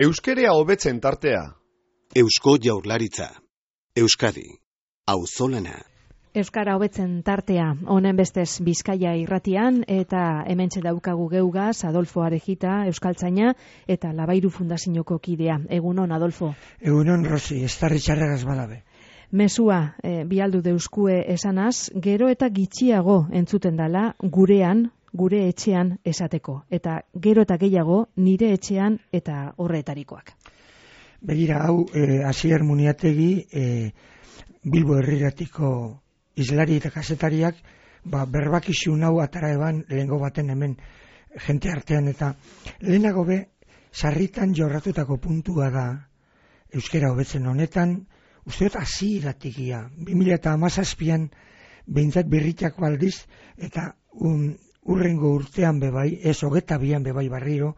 Euskerea hobetzen tartea. Eusko Jaurlaritza. Euskadi. Auzolana. Euskara hobetzen tartea, honen bestez Bizkaia irratian, eta hementxe daukagu geugaz Adolfo Arejita, euskaltzaina, eta Labairu Fundazioko kidea. Egunon, Adolfo. Egunon, Rosi, estarri txarragaz badabe. Mesua, bialdu deuskue esanaz, gero eta gitxiago entzuten dala gurean, gure etxean esateko. Eta gero eta gehiago nire etxean eta horretarikoak. Begira, hau, Asier Muniategi, Bilbo herriratiko islari eta kazetariak, berbakizun hau atara eban lehengo baten hemen jente artean, eta lehenago be, sarritan jorratutako puntua da euskera hobetzen honetan, uste dut hasieratik 2017an behintzat birritako aldiz, eta urrengo urtean bebai, ez 22an bebai barriro,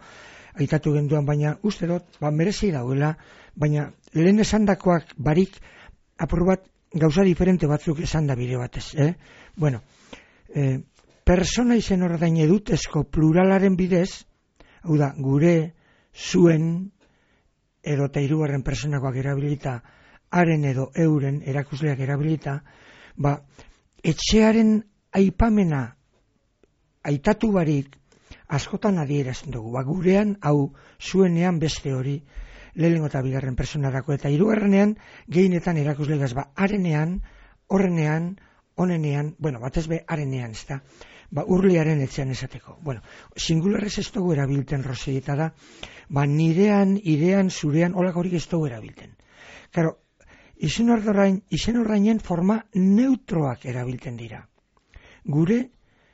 aitatu genduan, baina uste dut, merezi dauela, baina lehen esandakoak barik apur bat gauza diferente batzuk esan da bide batez. Bueno, persona izen ordain edutezko pluralaren bidez, hau da, gure, zuen, edo eta hirugarren personakoak erabilita, haren edo euren erakusleak erabilita, etxearen aipamena aitatu barik askotan adierazten dugu. Gurean, hau, zuenean beste hori, lehenengo eta bigarren personarako, eta hirugarrenean gehienetan erakuslegaz, harenean, horrenean, onenean, batez be harenean, ez da, urliaren etxean esateko. Singularrez ez dugu erabilten, Rosi, eta da, nirean, irean, zurean, holak horik ez dugu erabilten. Karo, izen ordainen forma neutroak erabilten dira. Gure,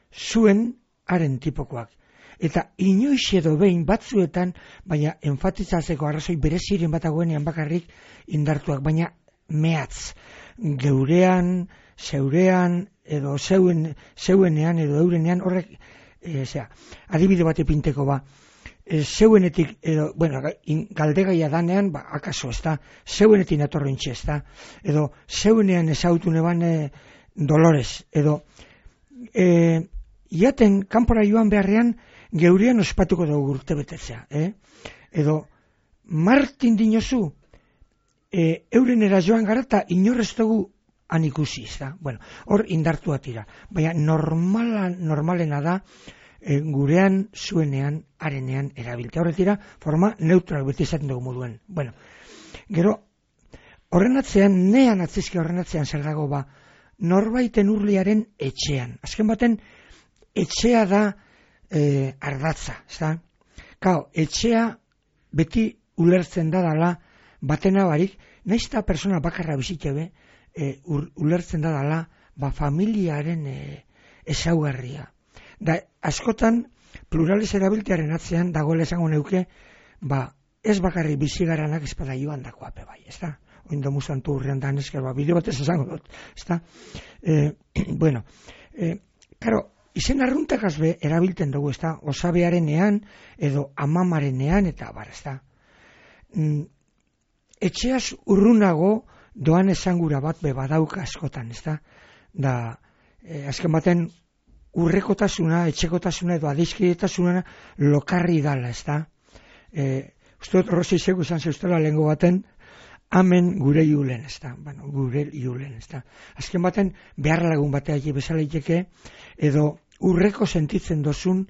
zuen, haren tipokoak. Eta inoiz edo behin batzuetan, baina enfatizatzeko arrazoi bereziren batagoenean bakarrik indartuak, baina mehatz. Geurean, zeurean, edo zeuenean, edo eurenean, horrek, adibide bat epinteko zeuenetik, edo, galdegaia danean, akaso, ez da, zeuenetik atorrentxe, ez da, edo zeuenean ezautu neban Dolores, edo, iaten kanpora joan beharrean, geurean ospatuko dugu urte betetzea. Edo, Martin dinozu, eurenera joan gara eta inorrez dugu han ikusi, ez da. Hor indartu atira. Baina normalena da, gurean, zuenean, harenean erabiltea. Horretira, forma neutral beti izaten dugu moduen. Gero, horren atzean, nean atzizki horren atzean zer dago norbaiten urliaren etxean. Azken baten, etxea da ardatza, ez da? Etxea beti ulertzen da dala batena barik, nahiz eta persona bakarra bizitebe, ulertzen da dala familiaren ezaugarria. Da, askotan, plurales erabiltearen atzean, dagoela esango neuke, ez bakarri bizigaranak espada joan dakoa bai, ez da? Oindo musantu urrean da nesker, bideo batez esango dut, ez da? Karo, izen arruntakaz erabilten dugu, ez da, osabearenean, edo amamarenean, eta ez da. Etxeaz urrunago doan esangura bat badauka askotan, ez da. Da, azken baten, urrekotasuna, etxekotasuna, edo adizkidetasuna lokarri dala, ez da. Uste dut, Rosi zego izan zeustela lehengo baten, amen gure julen, ez da. Gure julen, ez da. Azken baten, behar lagun batea bezala iteke, edo urreko sentitzen dozun,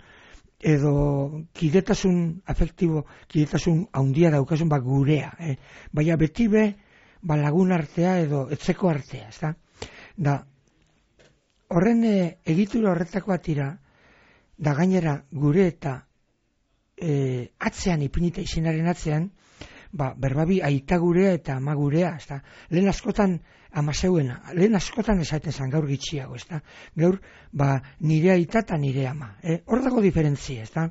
edo kidetasun afektibo, kidetasun haundia daukasun gurea. Baina beti lagun artea edo etzeko artea, ez da? Da, horren egitura horretako atira, da gainera gure eta atzean ipinita izenaren atzean, berbabi aita gurea eta ama gurea, ez da? Lehen askotan amazeuena, lehen askotan esaten zan gaur gitxiago, ez da? Gaur, nire aita eta nire ama. Hor dago diferentzia, ez da?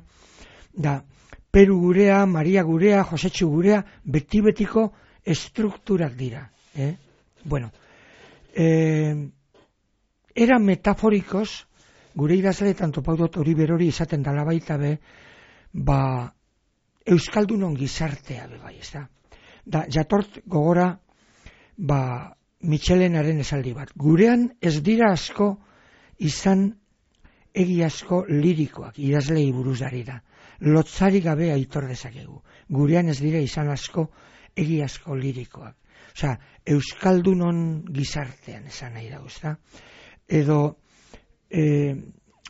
Da, Peru gurea, Maria gurea, Josetxu gurea, beti-betiko estrukturak dira. Era metaforikoz, gure idazleetan topaudot hori berori izaten dala baita Euskaldunon gizartea bai, ez da? Da, jatort gogora, Michelenaren esaldi bat. Gurean ez dira asko izan egiazko lirikoak, idazlei buruz dari da. lotzari gabe aitor dezakegu. Gurean ez dira izan asko, egiazko lirikoak. Osea, euskaldunon gizartean esan nahi dago, ezta? Edo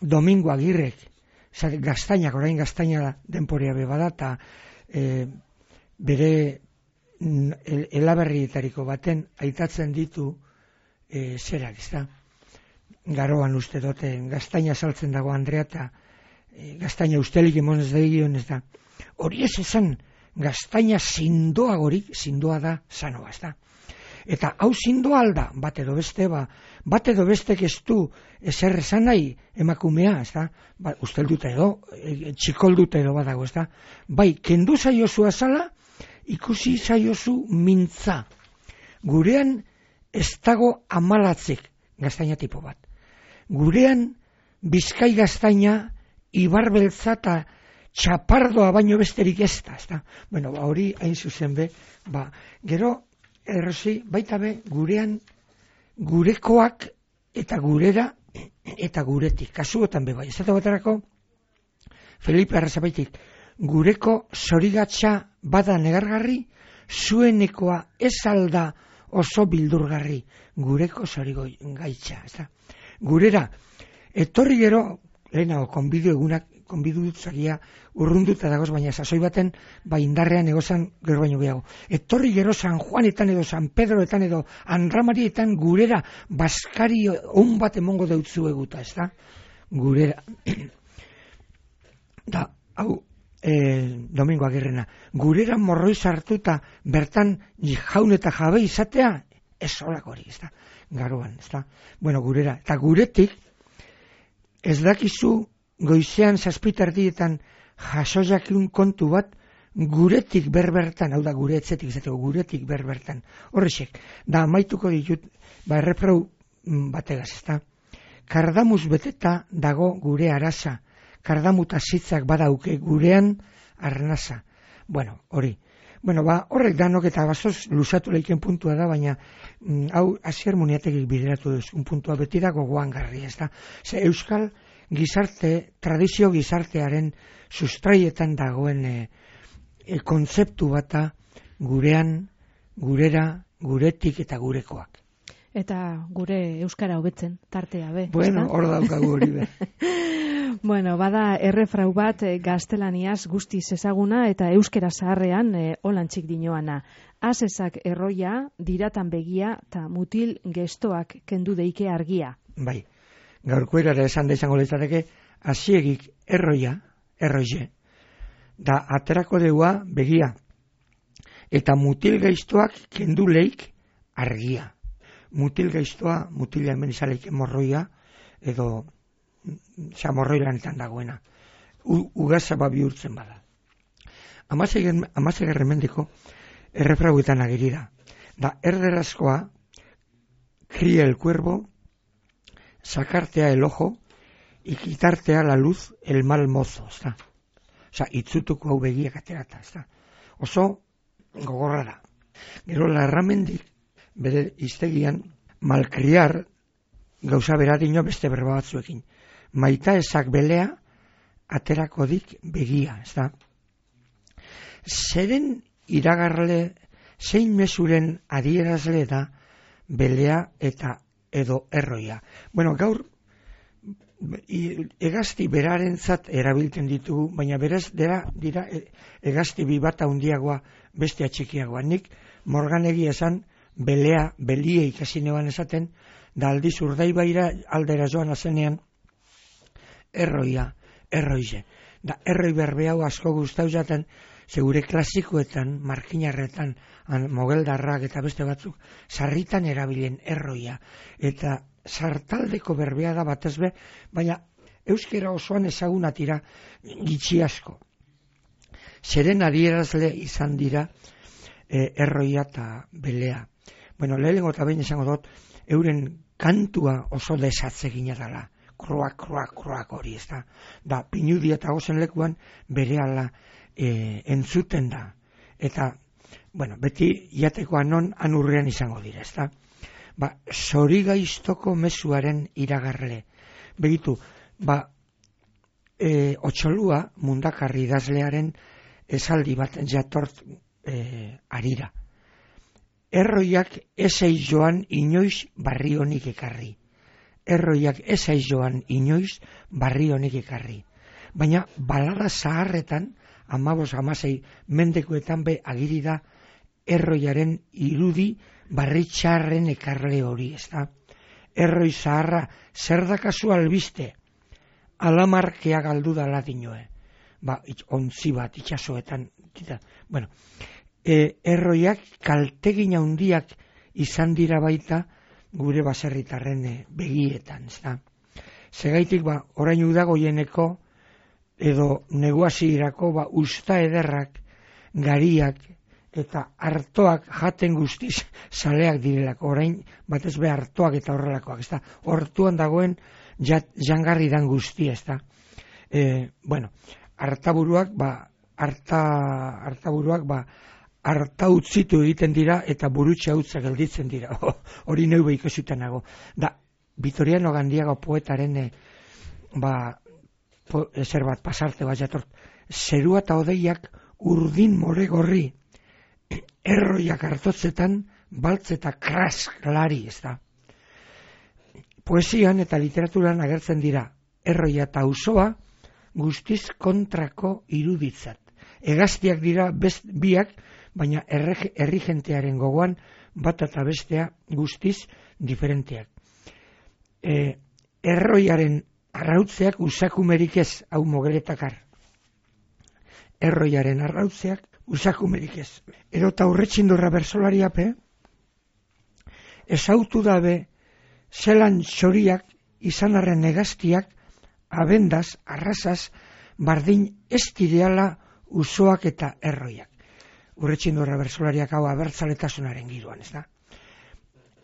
Domingo Agirrek, gaztainak, orain gaztaina denporea bebada, eta bere elaberrietariko baten aitatzen ditu zerak, ezta? Garoan uste dute, gaztaina saltzen dago Andrea, eta gaztaina ustelik emonez dagion, ez da. Hori ez esan, gaztaina zindoagorik, zindoa da sanoa, ez da. Eta hau zindoa alda, bat edo bestek ez du ezer esan nahi emakumea, ez da. Usteldute edo, txikoldute edo badago, ez da. Bai, kendu zaiozu azala, ikusi zaiozu mintza. Gurean ez dago amalatzik gaztaina tipo bat. Gurean Bizkai gaztaina, ibarbeltza eta txapardoa baino besterik ez da. Bueno, hori hain zuzen be, gero, errozi, baita be, gurean, gurekoak eta gurera eta guretik. Kasuotan be bai, ez da baterako, Felipe Arrazabaitik, gureko zorigatza bada negargarri, zuenekoa ez alda oso bildurgarri, gureko zorigaitza, ez da. Gurera, etorri gero, lehenago, konbidu dutzagia urrunduta dagoz, baina sasoi baten, indarrean egozan gero baino gehiago. Etorri gero San Juanetan edo San Pedroetan edo Andramarietan gurera baskari on bat emongo deutzu eguta, ez da? Gurera. Da, hau, Domingo Agirrena, gurera morroi sartuta bertan jaun eta jabe izatea, ez olako hori, ez da? Garoan, ez da? Bueno, gurera. Eta guretik, ez dakizu goizean 7:00 jasojakun kontu bat guretik berbertan, hau da gure etzetik izateko, guretik berbertan. Horrexek, da amaituko ditut, erreprau bategaz, ez da? Kardamuz beteta dago gure araza, kardamuta zitzak badauke gurean arnasa. Bueno, hori. Bueno, horrek danok eta bazoz luzatu leiken puntua da, baina hau Asier Muniategik bideratu duzun puntua beti da gogoan garri, ez da? Ze euskal gizarte, tradizio gizartearen sustraietan dagoen kontzeptu bata gurean, gurera, guretik eta gurekoak. Eta gure euskara hobetzen, tartea be. Bueno, hor daukagu hori be. Bueno, bada errefrau bat gaztelaniaz guztiz ezaguna eta euskera zaharrean holantzik dinoana. Asesak erroia, diratan begia eta mutil gestoak kendu deike argia. Bai, gaurko erara esan da izango litzateke, asiegik erroia, erroie, da aterako deua begia, eta mutil gestoak kendu leik argia. Mutil gestoa, mutila hemen izaleik morroia, edo morroi lanetan dagoena. Ugazaba bihurtzen bada. Amazegarren mendiko errefrauetan ageri da. Da erderazkoa, cría el cuervo, sacartea el ojo, y quitartea la luz el mal mozo. Osa, itzutuko hau begiak aterata. Oso gogorra da. Gero larramendik, bere iztegian, malkriar, gauza beradino beste berba batzuekin. Maita ezak belea, aterako dik begia, ez da? Zeren iragarle, zein mesuren adierazle da, belea eta edo erroia. Bueno, gaur, egazti berarentzat erabiltzen ditugu, baina berez dira egazti bi bat handiagoa beste txikiagoa. Nik morganegi esan, belea, belie ikasi neban esaten, da aldiz Urdaibaira aldera joan azenean, erroia, erroize. Da erroi berbe hau asko gustau jaten, segure klasikoetan, markinarretan, mogeldarrak eta beste batzuk, sarritan erabilen erroia. Eta sartaldeko berbea da batez be, baina euskera osoan ezagunatira gitxi asko. Zeren adierazle izan dira erroia eta belea. Bueno, lehenengo eta behin esango dut, euren kantua oso desatzegina dela. Kroak hori, ez da. Da, pinudia eta gozen lekuan berehala entzuten da. Eta, bueno, beti jatekoa non anurrean izango dira, ez da. Zorigaiztoko mezuaren iragarle. Begitu, Otxolua Mundakarri idazlearen esaldi bat jatort arira. Erroiak esei joan inoiz barri honik ekarri. Erroiak esei joan inoiz barri honik ekarri. Baina balada zaharretan, 15-16 mendekuetan be agiri da erroiaren irudi barri txarren ekarle hori, ezta? Erroi zaharra zer dakazu albiste? Alamarkea galdu dala dinoe. Ontzi bat itxasoetan. Bueno, erroiak kaltegin handiak izan dira baita gure baserritarren begietan, ezta? Segaitik orain udagoieneko edo neguazirako usta ederrak, gariak eta artoak jaten guztiz saleak direlako, orain batez be artoak eta horrelakoak, ezta? Hortuan dagoen jangarri dan guzti, ezta? Bueno, artaburuak arta utzitu egiten dira eta burutxa utza gelditzen dira. Hori neube ikusutan nago. Da, Vitoriano Gandiago poetaren ezer bat pasarte bat jatort. Zerua eta odeiak urdin more gorri, erroiak hartotzetan baltz eta krask lari, ez da. Poesian eta literaturan agertzen dira erroia eta auzoa guztiz kontrako iruditzat. Hegaztiak dira biak, baina herri jentearen gogoan bat eta bestea guztiz diferenteak. Erroiaren arrautzeak usakumerik ez, hau Mogeletakar. Erroiaren arrautzeak usakumerik ez. Erota Urretxindorra bersolariape, esautu dabe zelan txoriak izanarren hegaztiak abendaz, arrasaz, bardin ez direala usoak eta erroiak. Urretxindorra bersolariak hau abertzaletasunaren giroan, ez da?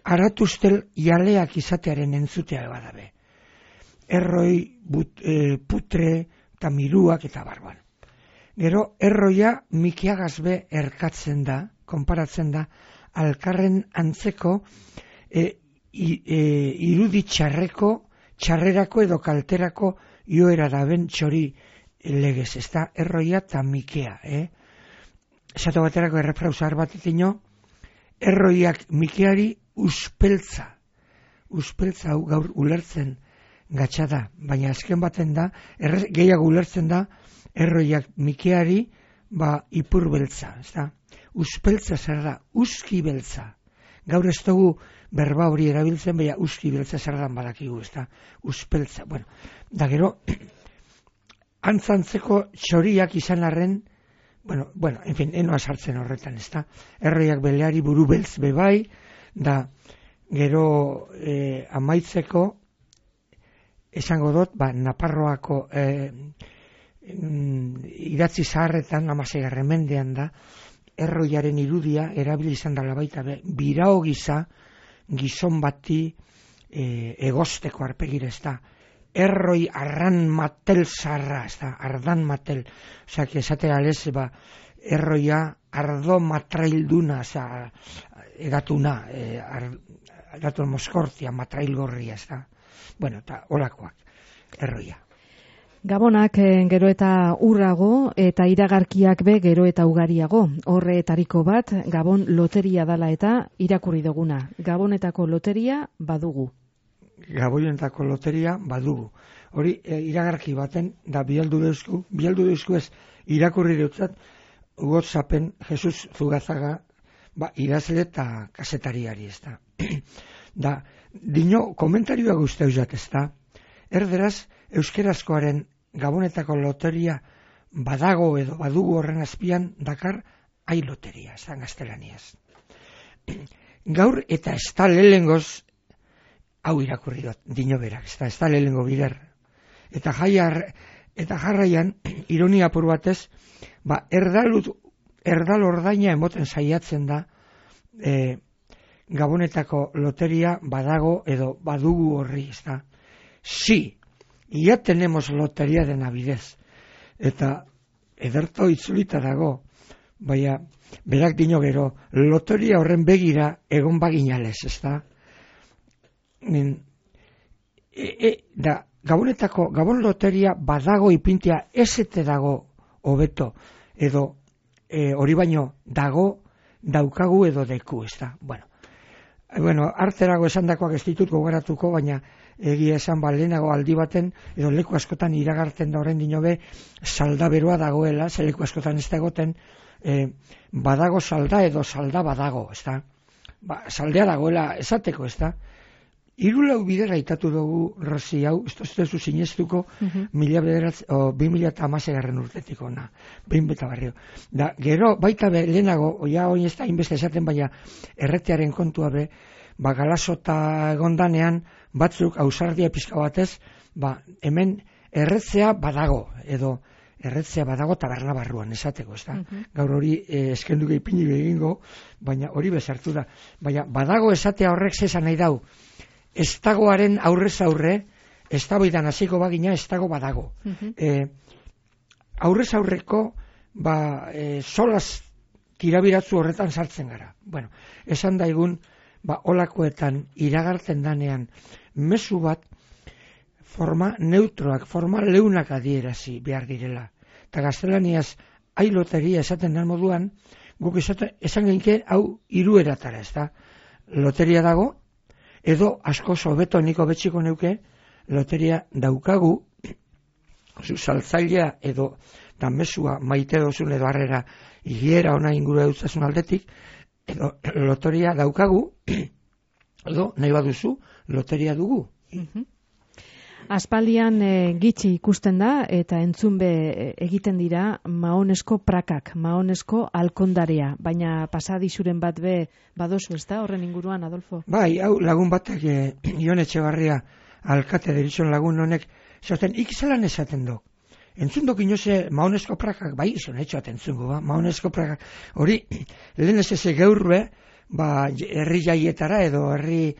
Aratuztel jaleak izatearen entzutea badabe. Erroi, putre eta miruak eta barban. Gero, erroia mikiagazbe erkatzen da, konparatzen da, alkarren antzeko irudi txarrerako edo kalterako joera daben txori legez, ez da, erroia eta mikea, Esatu baterako errefrauzar bat itino, erroiak mikeari uspeltza hau gaur ulertzen gatsa da, baina azken baten da, gehiago ulertzen da, erroiak mikeari ipur beltza, ez da? Uspeltza zer da, uski beltza. Gaur ez dugu berba hori erabiltzen, baina uski beltza zer dan badakigu, ez da? Uspeltza, bueno. Da gero, antzantzeko txoriak izan arren, bueno, en fin, enoa sartzen horretan, ez da? Erroiak beleari buru beltz bebai, da gero amaitzeko, esango dut, Naparroako idatzi zaharretan, 16. mendean da, erroiaren irudia erabili izan dela baita, birao gisa, gizon bati egosteko arpegira, ez da? Erroi arran matel zarra, ez da? Ardan matel. Osak, esatera lez, erroia ardo matrailduna, egatuna, egatun moskortia, matrailgorria, ez da? Bueno, eta olakoak, erroia. Gabonak gero eta urrago eta iragarkiak be gero eta ugariago. Horretariko bat, Gabon loteria dala eta irakurri duguna. Gabonetako loteria badugu. Gabonetako loteria badugu. Hori iragarki baten da bialdu deusku ez irakurri dutzat WhatsAppen Jesus Zugazaga idazle eta kasetariari, ez da. Da, dino komentarioa guzti eusat, ez da. Erderaz, euskerazkoaren Gabonetako loteria badago edo badugu horren azpian dakar ai loteria, ez da gaztelaniaz. Gaur eta ez da lehengoz hau irakurri dut, dino berak, ez da lehengo bider. Eta jarraian, ironia apur batez, erdal ordaina emoten saiatzen da Gabonetako loteria badago edo badugu horri, ez da. Sí, ya tenemos loteria de Navidez. Eta ederto itzulita dago, baina berak dino gero, loteria horren begira egon baginales, ez da. Da, Gabon loteria badago ipintia ezete dago hobeto, edo hori baino daukagu edo deku, ez da. Bueno, arterago esandakoak ez ditut gogoratuko, baina egia esan lehenago aldi baten, edo leku askotan iragartzen da orain dinobe, salda beroa dagoela, ze leku askotan ez da egoten, badago salda edo salda badago, ez da. Saldea dagoela esateko, ez da. 3 bider aitatu dugu Rosi hau, ez duzu sinestuko, 2016 urtetik ona, behin beta barrio. Da, gero, baita lehenago, oia hori ez da inbeste esaten, baina erretearen kontua be, galasota egondanean, batzuk ausardia pizka batez, hemen erretzea badago, edo erretzea badago taberna barruan, esateko, ez da. Gaur hori eskenduke ipini egingo, baina hori bezartu da. Baina badago esatea horrek zesan nahi dau, ez dagoaren aurrez aurre, ez dagoidan hasiko bagina, ez dago badago. Aurrez aurreko, solaz tirabiratzu horretan sartzen gara. Bueno, esan daigun, olakoetan iragartzen danean, mezu bat, forma neutroak, forma leunak adierazi behar direla. Eta gaztelaniaz, loteria esaten den moduan, guk esan genke, hau 3 eratara, ez da. Loteria dago, edo asko hobeto niko betxiko neuke, loteria daukagu, saltzailea edo mesua maite dozun edo harrera higiera ona inguru eutzasun aldetik, edo loteria daukagu, edo nahi baduzu, loteria dugu. Aspaldian gitxi ikusten da eta entzunbe egiten dira maonesko prakak, maonesko alkondarea, baina pasadizuren bat be badozu, ez da, horren inguruan, Adolfo? Bai, hau lagun batek, Ion Etxebarria alkate deritzon lagun honek, zaten ikizelan esaten do. Entzundok inoze maonesko prakak, bai, izan etxoat entzungo, maonesko prakak, hori, lehen ez geurbe, herri jaietara edo herri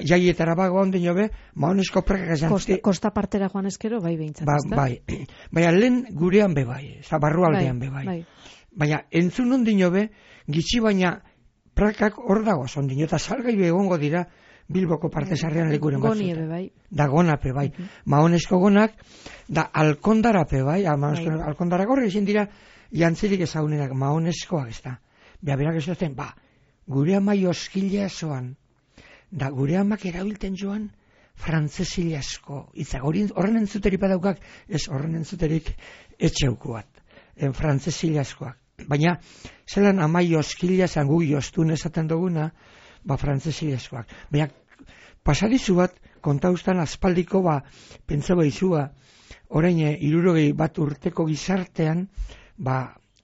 jaietara bago ondino be, maonesko prakak esan. Kosta partera joan ezkero, bai behintzat, ez da? Bai, baina lehen gurean be bai, barrualdean be bai. Baina entzun ondino be, gitxi baina prakak hor dago ondino, eta salgai egongo dira Bilboko partezarrean lekuren batzuta. Goni ebe bai. Da gonape bai. Maonesko gonak, da alkondarape bai, alkondarak horre izin dira jantzirik ezagunenak, maoneskoak ez da. Berak esaten, gure amai oskilea zoan, da gure amak erabilten joan frantzesile asko. Horren entzuterik badaukak, ez horren entzuterik etxeukuat, frantzesile askoak. Baina, zelan amai oskilea zangu jostun esaten duguna, frantzesile askoak. Baina, pasadizu bat, kontauztan aspaldiko, pentsaba izua, orain 61 urteko gizartean,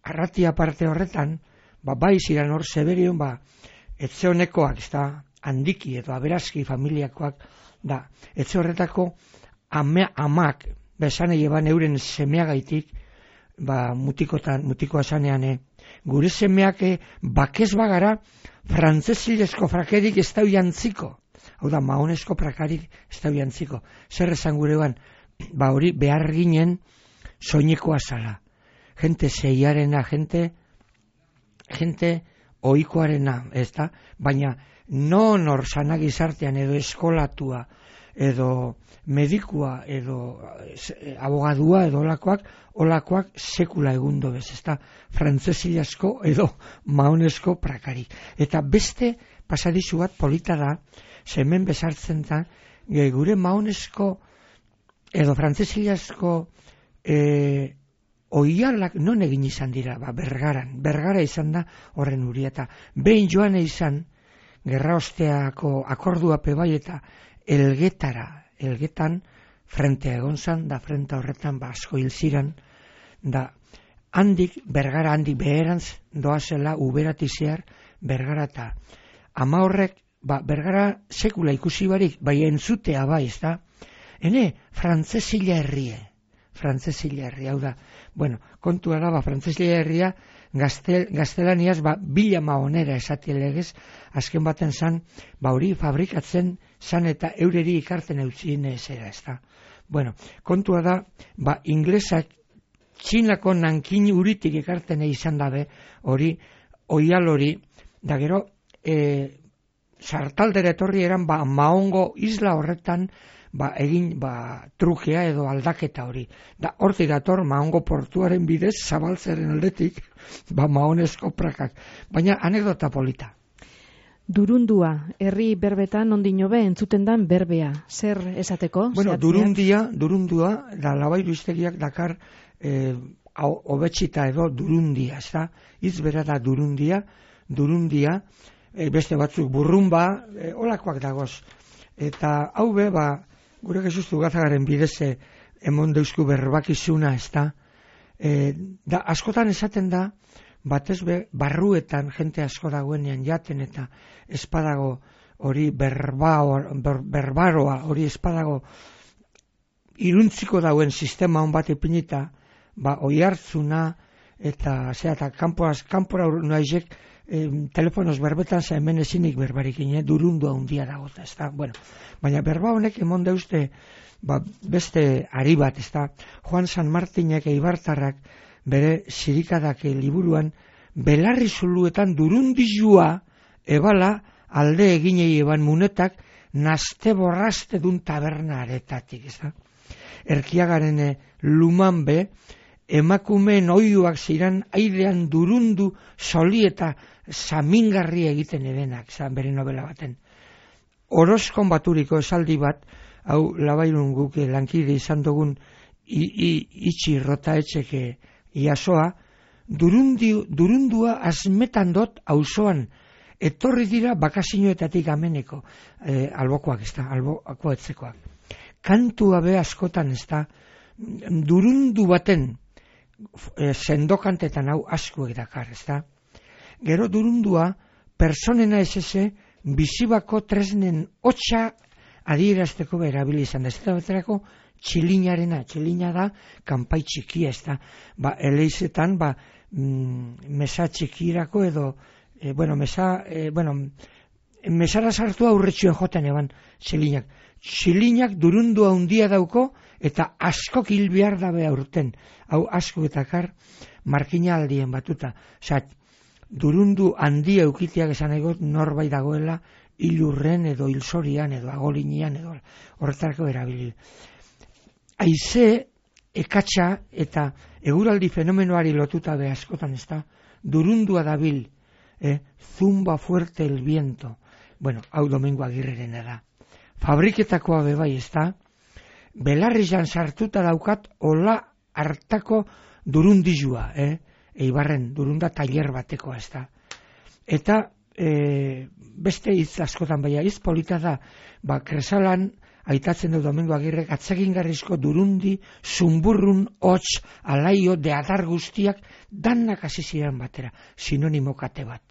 arratia parte horretan, bai ziren hor Zeberion, etxe honekoak, ez da, handiki edo aberazki familiakoak, da, etxe horretako amak, besan eban euren semeagaitik, mutikoa zanean, gure semeak bakez bagara, frantzesilesko frakerik ez da jantziko. Hau da, maonesko prakarik ez da jantziko. Zer esan gurean, hori behar ginen soinekoa zala. Gente zeiarena, gente oikoarena, ez da? Baina, non hor sana gizartean edo eskolatua, edo medikua, edo abogadua, edo olakoak sekula egundo bez, ez da? Frantzesilasko edo maonesko prakarik. Eta beste pasadizu bat polita da, hemen bezartzen da, gure maonesko edo frantzesilasko oialak non egin izan dira, Bergara izan da horren uri, eta behin joan izan, gerra osteako akorduape bai eta Elgetan frentea egon zan, da frente horretan asko hil ziren, da Bergara handik beherantz doazela uberatizear Bergara eta ama horrek, Bergara sekula ikusi barik, bai entzutea bai, ez da? Frantzesila herrie, hau da. Bueno, kontua da, frantzesila herria, gaztelaniaz, bila maonera esatia legez, azken baten zan, hori fabrikatzen zan eta eureri ikarten eutzien ezera, ez da. Bueno, kontua da, inglesak Txinako Nankin uritik ikarten izan dabe, hori, oial hori, da gero, sartaldera etorri eran Mahongo isla horretan egin trukea edo aldaketa hori. Da hortik dator Mahongo portuaren bidez zabaltzaren aldetik Mahonezko prakak. Baina anekdota polita. Durundua, herri berbetan ondino be entzuten dan berbea. Zer esateko? Bueno, durundua, da Labairu hiztegiak dakar hobetsita edo durundia, ez da? Hitz bera da durundia, beste batzuk burrumba, olakoak dagoz. Eta hau be, gure Jesustu Gazagaren bidez emon deusku berbakizuna, ez da? Da, askotan esaten da, batez be, barruetan jente asko dagoenean jaten eta espadago hori berbaroa, hori espadago iruntziko dauen sistema hon bat ipinita, oihartzuna eta kanpora naizek telefonoz berbetan za hemen ezinik berbarik durundua handia dago, ez da? Bueno, baina berba honek emon deuste beste ari bat, ez da? Juan San Martinek eibartarrak bere sirikadak liburuan belarri zuluetan durundizua ebala alde eginei eban munetak naste borraste dun taberna aretatik, ez da? Erkiagaren luman be emakumeen oiuak ziran airean durundu soli eta samingarri egiten edenak, bere novela baten. Orozkon baturiko esaldi bat, hau Labairun guk lankide izan dugun itxi rota etxeke iasoa, durundua azmetan dot auzoan etorri dira bakazinoetatik ameneko, albokoak ez da, alboko etzekoak. Kantua be askotan ez da, durundu baten sendokantetan hau askuek dakar, ez da. Gero durundua personena esese bizibako tresnen hotxa adierazteko berabili izan da. Ez da beterako txilinarena, txilina da kanpai txikia, ez da. Eleizetan, mesa txikirako edo, mesara sartu aurretxuen joten eban txilinak. Txilinak durundua handia dauko eta asko hil behar dabe aurten. Hau asko etakar markina aldien batuta. Durundu handia eukitiak esan egot norbait dagoela hilurren edo hilzorian edo agolinian edo horretarako erabili. Haize ekatsa eta eguraldi fenomenoari lotuta be askotan ez da, durundua dabil, zumba fuerte el viento. Bueno, hau Domingo Agirrerena da. Fabriketakoa bebai ez da, belarrizan sartuta daukat ola hartako durundizua, Eibarren durunda tailer bateko ez da. Eta beste hitz askotan baina hitz polita da, Kresalan aitatzen du Domingo Agirrek atsegingarrizko durundi, zumburrun, hots, alaio, deadar guztiak, danak hasi ziren batera, sinonimo kate bat.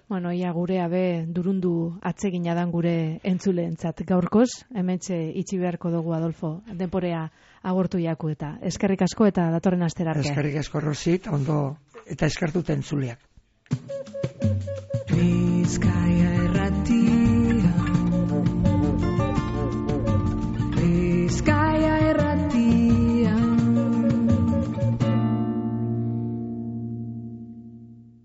Bueno, ia gurea be durundu atsegina dan gure entzuleentzat gaurkoz, hementxe itxi beharko dugu Adolfo, denporea agortu jaku eta eskerrik asko eta datorren astera arte. Eskerrik asko Rosit, ondo eta eskartute entzuleak.